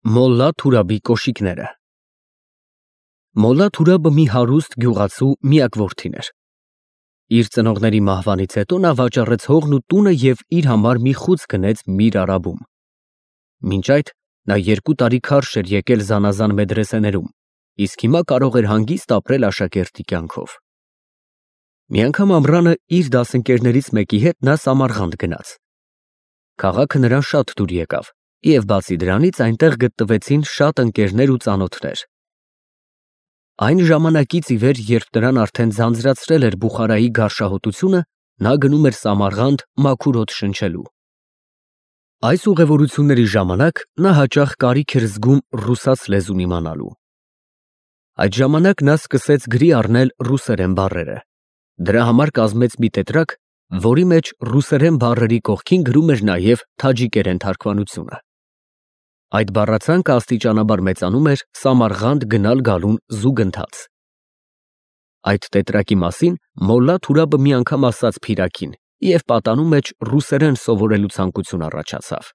Մոլլա Թուրաբի կոշիկները։ Մոլլա Թուրաբը մի հարուստ գյուղացու միակ որդին էր։ Իր ծնողների մահվանից հետո նա վաճառեց հողն ու տունը և իր համար մի խուծ գնեց Միր Արաբում։ Մինչ այդ նա 2 տարի քարշ էր եկել զանազան մեդրեսեներում, իսկ հիմա կարող էր հանգիստ ապրել աշակերտի կյանքով։ Մի անգամ ամռանը իր դասընկերներից մեկի հետ նա Սամարղանդ գնաց։ Քաղաքը նրան շատ դուր եկավ, և բացի դրանից այնտեղ գտնվեցին շատ ընկերներ ու ծանոթներ։ Այն ժամանակից ի վեր, երբ նրան արդեն ձանձրացրել էր Բուխարայի գարշահոտությունը, նա գնում էր Սամարղանդ մաքուր հոտ շնչելու։ Այս ուղևորությունների ժամանակ նա հաճախ կարիք էր զգում ռուսաց լեզուն իմանալու։ Այդ ժամանակ նա սկսեց գրի առնել ռուսերեն բառերը։ Դրա համար կազմեց մի տետրակ, որի մեջ ռուսերեն բառերի կողքին գրում էր նաև թաջիկերեն թարգմանությունը։ Այդ բառացանկը աստիճանաբար մեծանում էր Սամարղանդ գնալ֊գալուն զուգընթաց։ Այդ տետրակի մասին Մոլլա Թուրաբը մի անգամ ասաց Փիրաքին, և պատանու մեջ ռուսերեն սովորելու ցանկություն առաջացավ։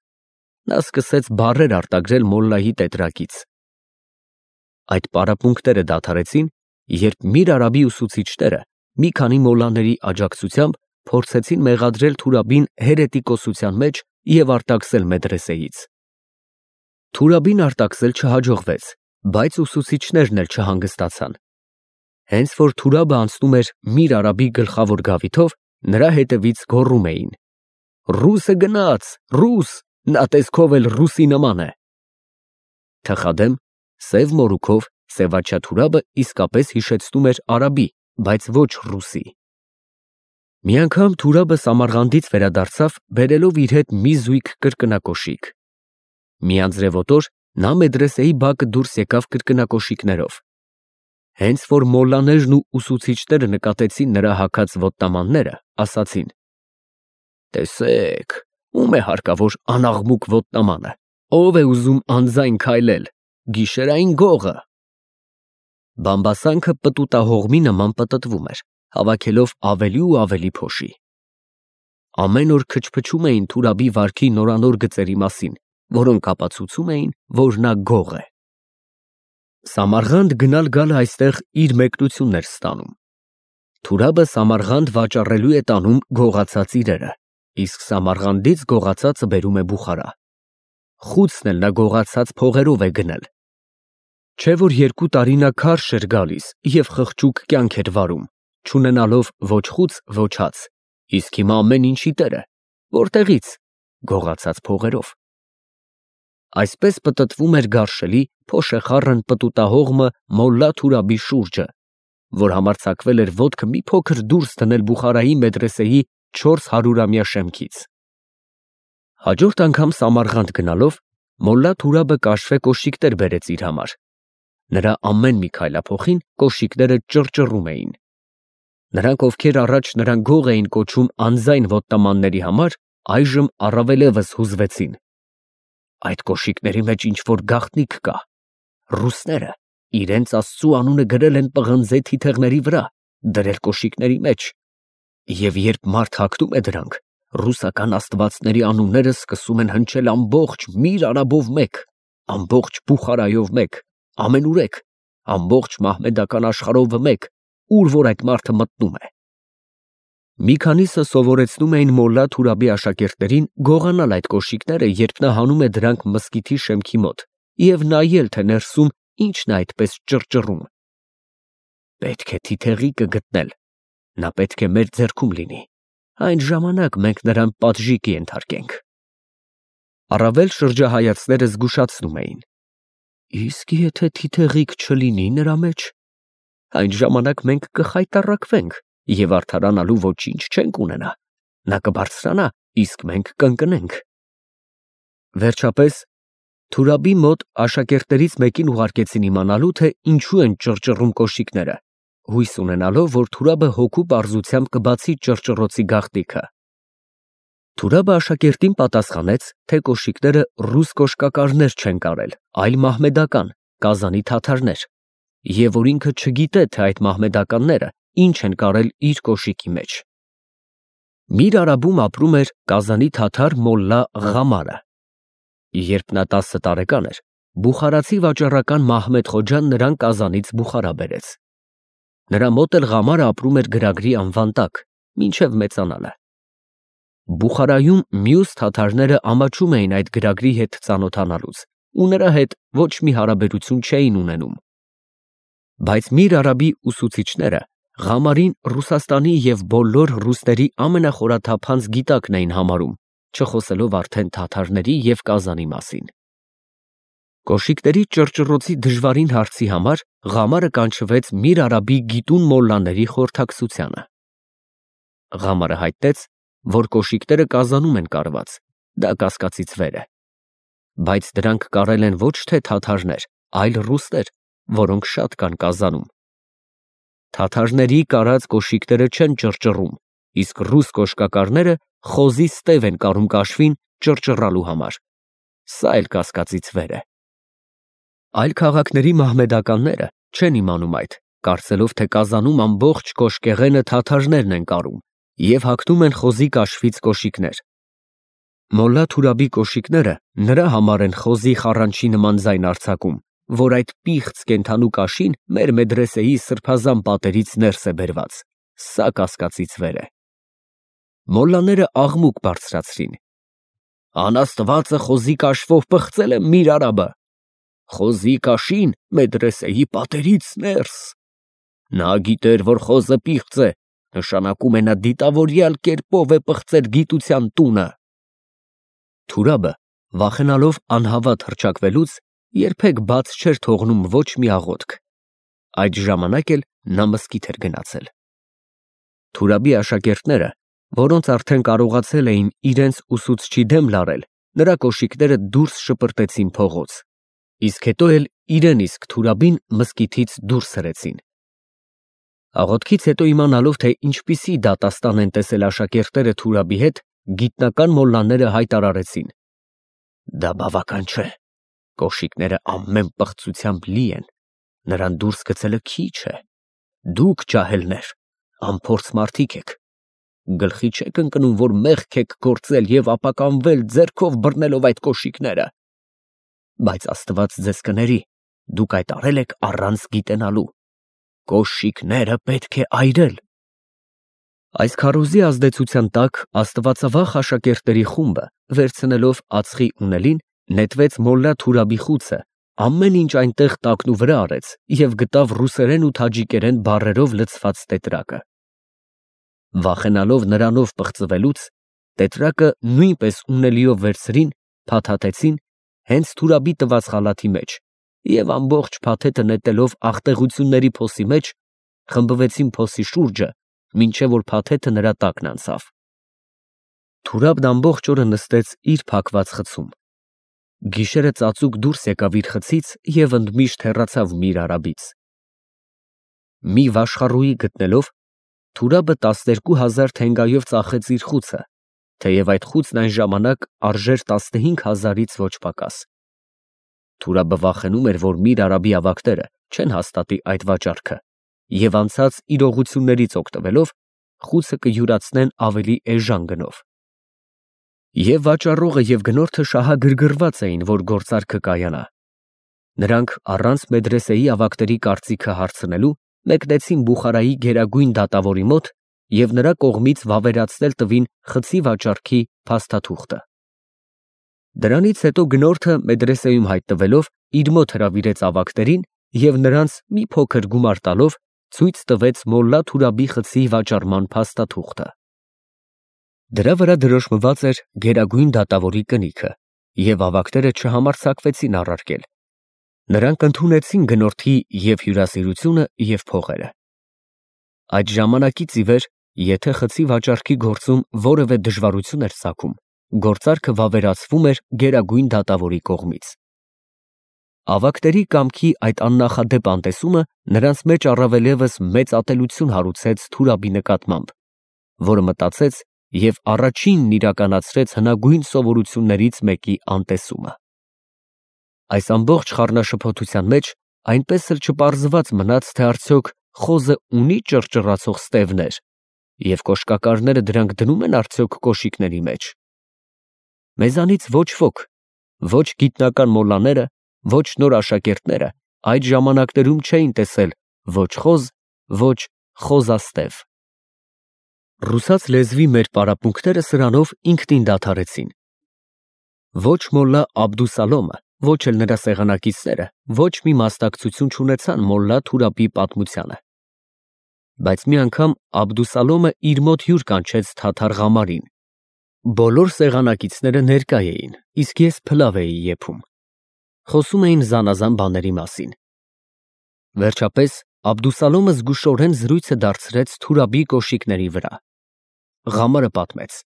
Նա սկսեց բառեր արտագրել Մոլլայի տետրակից։ Այդ պարապմունքները դադարեցին, երբ Միր Արաբի ուսուցիչները մի քանի մոլլաների աջակցությամբ փորձեցին մեղադրել Թուրաբին հերետիկոսության մեջ և արտաքսել մեդրեսեից։ Թուրաբին արտաքսել չհաջողվեց, բայց ուսուցիչներն էլ չհանգստացան։ Հենց որ Թուրաբը անցնում էր Միր Արաբի գլխավոր գավիթով, նրա հետևից գոռում էին. «Ռուսը գնաց, ռուս, նա տեսքով էլ ռուսի նման է»։ Թխադեմ, սև մորուքով սևաչյա Թուրաբը իսկապես հիշեցնում էր արաբի, բայց ոչ ռուսի։ Մի անգամ Թուրաբը Սամարղանդից վերադարձավ, բերելով իր հետ մի զույգ կրկնակոշիկ։ Մի անձրևոտ օր նա մեդրեսեի բակը դուրս եկավ կրկնակոշիկներով։ Հենց որ մոլլաներն ու ուսուցիչները նկատեցին նրա հագած ոտնամանները, ասացին. «Տեսեք, ում է հարկավոր անաղմուկ ոտնամանը, ով է ուզում անձայն քայլել, գիշերային գողը»։ Բամբասանքը պտուտահողմի նման պտտվում էր, հավաքելով ավելի ու ավելի փոշի։ Ամեն օր քչփչում էին Թուրաբի վարքի նորանոր գծերի մասին, որոնք ապացուցում էին, որ նա գող է։ Սամարղանդ գնալ֊գալը այստեղ իր մեկնությունն էր ստանում։ Թուրաբը Սամարղանդ վաճառելու է տանում գողացած իրերը, իսկ Սամարղանդից գողացածը բերում է Բուխարա։ Խուցն էլ նա գողացած փողերով է գնել։ Չէ որ 2 տարի նա քարշ էր գալիս և խղճուկ կյանք էր վարում, չունենալով ոչ խուծ, ոչ հաց, իսկ հիմա ամեն ինչի տեր է, որտեղի՞ց, գողացած փողերով։ Այսպես պտտվում էր գարշելի, փոշեխառն պտուտահողմը Մոլլա Թուրաբի շուրջը, որ համարձակվել էր ոտքը մի փոքր դուրս դնել Բուխարայի մեդրեսեի 400-ամյա շեմքից։ Հաջորդ անգամ Սամարղանդ գնալով, Մոլլա Թուրաբը կաշվե կոշիկներ բերեց իր համար։ Նրա ամեն մի քայլափոխին կոշիկները ճռճռում էին։ Նրանք, ովքեր առաջ նրան գող էին կոչում անձայն ոտնամանների համար, այժմ առավելևս հուզվեցին։ Այդ կոշիկների մեջ ինչ-որ գաղտնիք կա։ Ռուսները իրենց աստծու անունը գրել են պղնձե թիթեղների վրա, դրել կոշիկների մեջ, և երբ մարդ հագնում է դրանք, ռուսական աստվածների անունները սկսում են հնչել ամբողջ Միր Արաբով մեկ, ամբողջ Բուխարայով մեկ, ամենուրեք, ամբողջ մահմեդական աշխարհով մեկ, ուր որ այդ մարդը մտնում է։ Մի քանիսը սովորեցնում էին Մոլլա Թուրաբի աշակերտներին գողանալ այդ կոշիկները, երբ նա հանում է դրանք մզկիթի շեմքի մոտ, և նայել, թե ներսում ինչն է այդպես ճռճռում։ Պետք է թիթեղիկը գտնել, նա պետք է մեր ձեռքում լինի, այն ժամանակ մենք նրան պատժի կենթարկենք։ Առավել շրջահայացները զգուշացնում էին. իսկ եթե թիթեղիկ չլինի նրա մեջ, այն ժամանակ մենք կխայտառակվենք և արդարանալու ոչինչ չենք ունենա, նա կբարձրանա, իսկ մենք կընկնենք։ Վերջապես Թուրաբի մոտ աշակերտներից մեկին ուղարկեցին իմանալու, թե ինչու են ճռճռում կոշիկները, հույս ունենալով, որ Թուրաբը հոգու պարզությամբ կբացի ճռճռոցի գաղտնիքը։ Թուրաբը աշակերտին պատասխանեց, թե կոշիկները ռուս կոշկակարներ չեն կարել, այլ մահմեդական, Կազանի թաթարներ, և որ ինքը չգիտե, թե այդ մահմեդականները ինչ են կարել իր կոշիկի մեջ։ Միր Արաբում ապրում էր Կազանի թաթար Մոլլա Ղամարը։ Երբ նա 10 տարեկան էր, Բուխարացի վաճառական Մահմեդ Խոջան նրան Կազանից Բուխարա բերեց։ Նրա մոտ էլ Ղամարը ապրում էր գրագրի անվան տակ, մինչև մեծանալը։ Բուխարայում մյուս թաթարները ամաչում էին այդ գրագրի հետ ծանոթանալուց ու նրա հետ ոչ մի հարաբերություն չէին ունենում։ Բայց Միր Արաբի ուսուցիչները Ղամարին Ռուսաստանի և բոլոր ռուսների ամենախորաթափանց գիտակն էին համարում, չխոսելով արդեն թաթարների և Կազանի մասին։ Կոշիկների ճռճռոցի դժվարին հարցի համար Ղամարը կանչվեց Միր Արաբի գիտուն մոլլաների խորհրդակցությանը։ Ղամարը հայտնեց, որ կոշիկները Կազանում են կարված, դա կասկածից վեր է։ Բայց դրանք կարել են ոչ թե թաթարներ, այլ ռուսներ, որոնք շատ կան Կազանում։ Թաթարների կարած կոշիկները չեն ճռճռում, իսկ ռուս կոշկակարները խոզի ստև են կարում կաշվին ճռճռալու համար։ Սա էլ կասկածից վեր է։ Այլ քաղաքների մահմեդականները չեն իմանում այդ, կարծելով, թե Կազանում ամբողջ կոշկեղենը թաթարներն են կարում և հագնում են խոզի կաշվից կոշիկներ։ Մոլլա Թուրաբի կոշիկները նրա համար են խոզի խառանչի նման ձայն արձակում, որ այդ պիղծ կենդանու կաշին մեր մեդրեսեի սրբազան պատերից ներս է բերված։ Սա կասկածից վեր է։ Մոլլաները աղմուկ բարձրացրին։ Անաստվածը խոզի կաշվով պղծել է Միր Արաբը։ Խոզի կաշին մեդրեսեի պատերից ներս։ Նա գիտեր, որ խոզը պիղծ է, նշանակում է նա դիտավորյալ կերպով է պղծել գիտության տունը։ Թուրաբը, վախենալով անհավատ հռչակվելուց, երբեք բաց չէր թողնում ոչ մի աղոթք։ Այդ ժամանակ էլ նա մզկիթ էր գնացել։ Թուրաբի աշակերտները, որոնց արդեն կարողացել էին իրենց ուսուցչի դեմ լարել, նրա կոշիկները դուրս շպրտեցին փողոց, իսկ հետո էլ իրեն իսկ Թուրաբին մզկիթից դուրս հրեցին։ Աղոթքից հետո իմանալով, թե ինչպիսի դատաստան են տեսել աշակերտները Թուրաբի հետ, գիտնական մոլլաները հայտարարեցին. Դա բավական չէ, կոշիկները ամեն պղծությամբ լի են, նրան դուրս գցելը քիչ է, դուք ջահելներ, անփորձ մարդիկ եք, գլխի չեք ընկնում, որ մեղք եք գործել և ապականվել ձեռքով բռնելով այդ կոշիկները, բայց Աստված ձեզ կների, դուք այդ արել եք առանց գիտենալու, կոշիկները պետք է այրել։ Այս քարոզի ազդեցության տակ աստվածավախ աշակերտների խումբը, վերցնելով ածխի ունելին, նետվեց մոլլա Թուրաբի խուցը, ամեն ինչ այնտեղ տակնուվրա արեց և գտավ ռուսերեն ու թաջիկերեն բառերով լցված տետրակը։ Վախենալով նրանով պղծվելուց, տետրակը նույնպես ունելիով վերցրին, փաթաթեցին հենց Թուրաբի տված խալաթի մեջ և ամբողջ փաթեթը նետելով աղտեղությունների փոսի մեջ, խմբվեցին փոսի շուրջը, մինչև որ փաթեթը նրա տակն անցավ։ Թուրաբն ամբողջ օրը նստեց իր փակված խցում։ Գիշերը ծածուկ դուրս եկավ իր խցից և ընդմիշտ հեռացավ Միր Արաբից։ Մի վաշխառուի գտնելով, Թուրաբը 12,000 թենգայով ծախեց իր խուցը, թեև այդ խուցն այն ժամանակ արժեր 15,000-ից ոչ պակաս։ Թուրաբը վախենում էր, որ Միր Արաբի ավագները չեն հաստատի այդ վաճառքը և անցած իրողություններից օգտվելով խուցը կյուրացնեն ավելի էժան գնով։ Եվ վաճառողը և գնորդը շահագրգռված էին, որ գործարքը կայանա։ Նրանք առանց մեդրեսեի ավագների կարծիքը հարցնելու մեկնեցին Բուխարայի գերագույն դատավորի մոտ և նրա կողմից վավերացնել տվին խցի վաճառքի փաստաթուղթը։ Դրանից հետո գնորդը մեդրեսեում հայտնվելով իր մոտ հրավիրեց ավագներին և նրանց մի փոքր գումար տալով ցույց տվեց մոլլա Թուրաբի խցի վաճառման փաստաթուղթը։ Դրա վրա դրոշմված էր գերագույն դատավորի կնիքը, և ավագները չհամարձակվեցին առարկել։ Նրանք ընդունեցին գնորդի և հյուրասիրությունը և փողերը։ Այդ ժամանակից ի վեր, եթե խցի վաճառքի գործում որևէ դժվարություն էր ծագում, գործարքը վավերացվում էր գերագույն դատավորի կողմից։ Ավագների կամքի այդ աննախադեպ անտեսումը նրանց մեջ առավելևս մեծ ատելություն հարուցեց Թուրաբի նկատմամբ, որը մտածեց և առաջինն իրականացրեց հնագույն սովորություններից մեկի անտեսումը։ Այս ամբողջ խառնաշփոթության մեջ այնպես էլ չպարզված մնաց, թե արդյոք խոզը ունի ճռճռացող ստևներ և կոշկակարները դրանք դնում են արդյոք կոշիկների մեջ։ Մեզանից ոչ ոք, ոչ գիտնական մոլլաները, Ոչ նոր աշակերտները այդ ժամանակներում չէին տեսել ոչ խոզ, ոչ խոզաստև։ Ռուսաց լեզվի մեր պարապմունքները սրանով ինքնին դադարեցին։ Ոչ մոլլա Աբդուսալոմը, ոչ էլ նրա սեղանակիցները ոչ մի մասնակցություն չունեցան մոլլա Թուրաբի պատմությանը։ Բայց մի անգամ Աբդուսալոմը իր մոտ հյուր կանչեց Թաթար Ղամարին։ Բոլոր սեղանակիցները ներկա էին, իսկ ես փլավ էի եփում։ Խոսում էին զանազան բաների մասին։ Վերջապես Աբդուսալոմը զգուշորեն զրույցը դարձրեց Թուրաբի կոշիկների վրա։ Ղամարը պատմեց.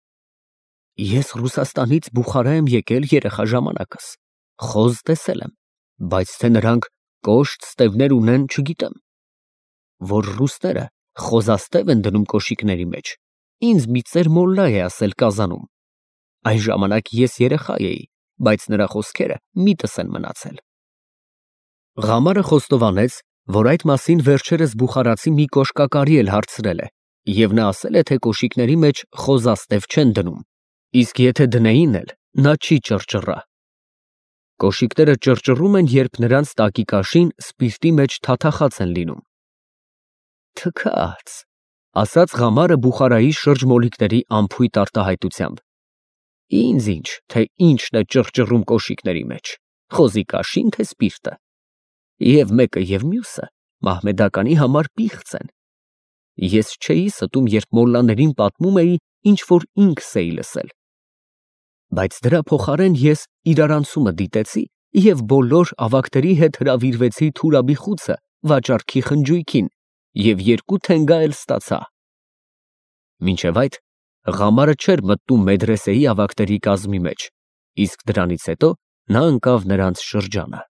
Ես Ռուսաստանից Բուխարա եմ եկել երեխա ժամանակս, խոզ տեսել եմ, բայց թե նրանք կոշտ ստևներ ունեն, չգիտեմ։ Որ ռուսները խոզաստև են դնում կոշիկների մեջ, ինձ մի ծեր մոլլա է ասել Կազանում։ Այն ժամանակ ես երեխա էի, բայց նրա խոսքերը միտս են մնացել։ Ղամարը խոստովանեց, որ այդ մասին վերջերս բուխարացի մի կոշկակարի էլ հարցրել է, և նա ասել է, թե կոշիկների մեջ խոզաստև չեն դնում, իսկ եթե դնեին էլ, նա չի ճռճռա։ Կոշիկները ճռճռում են, երբ նրանց տակի սպիրտի մեջ թաթախած են լինում։ Թքած, ասաց Ղամարը Բուխարայի շրջմոլիկների անփույթ արտահայտությամբ։ Ինձ ինչ, թե ինչն է ճռճռում կոշիկների մեջ, խոզի կաշին, թե սպիրտը։ Եվ մեկը և մյուսը մահմեդականի համար պիղծ են։ Ես չէի ստում, երբ մոլլաներին պատմում էի, ինչ որ ինքս էի լսել։ Բայց դրա փոխարեն ես իրարանցումը դիտեցի և բոլոր ավագների հետ հրավիրվեցի Թուրաբի խուցը վաճառքի խնջույքին և 2 թենգա էլ ստացա։ Մինչև այդ Ղամարը չէր մտնում մեդրեսեի ավագների կազմի մեջ, իսկ դրանից հետո նա ընկավ նրանց շրջանը։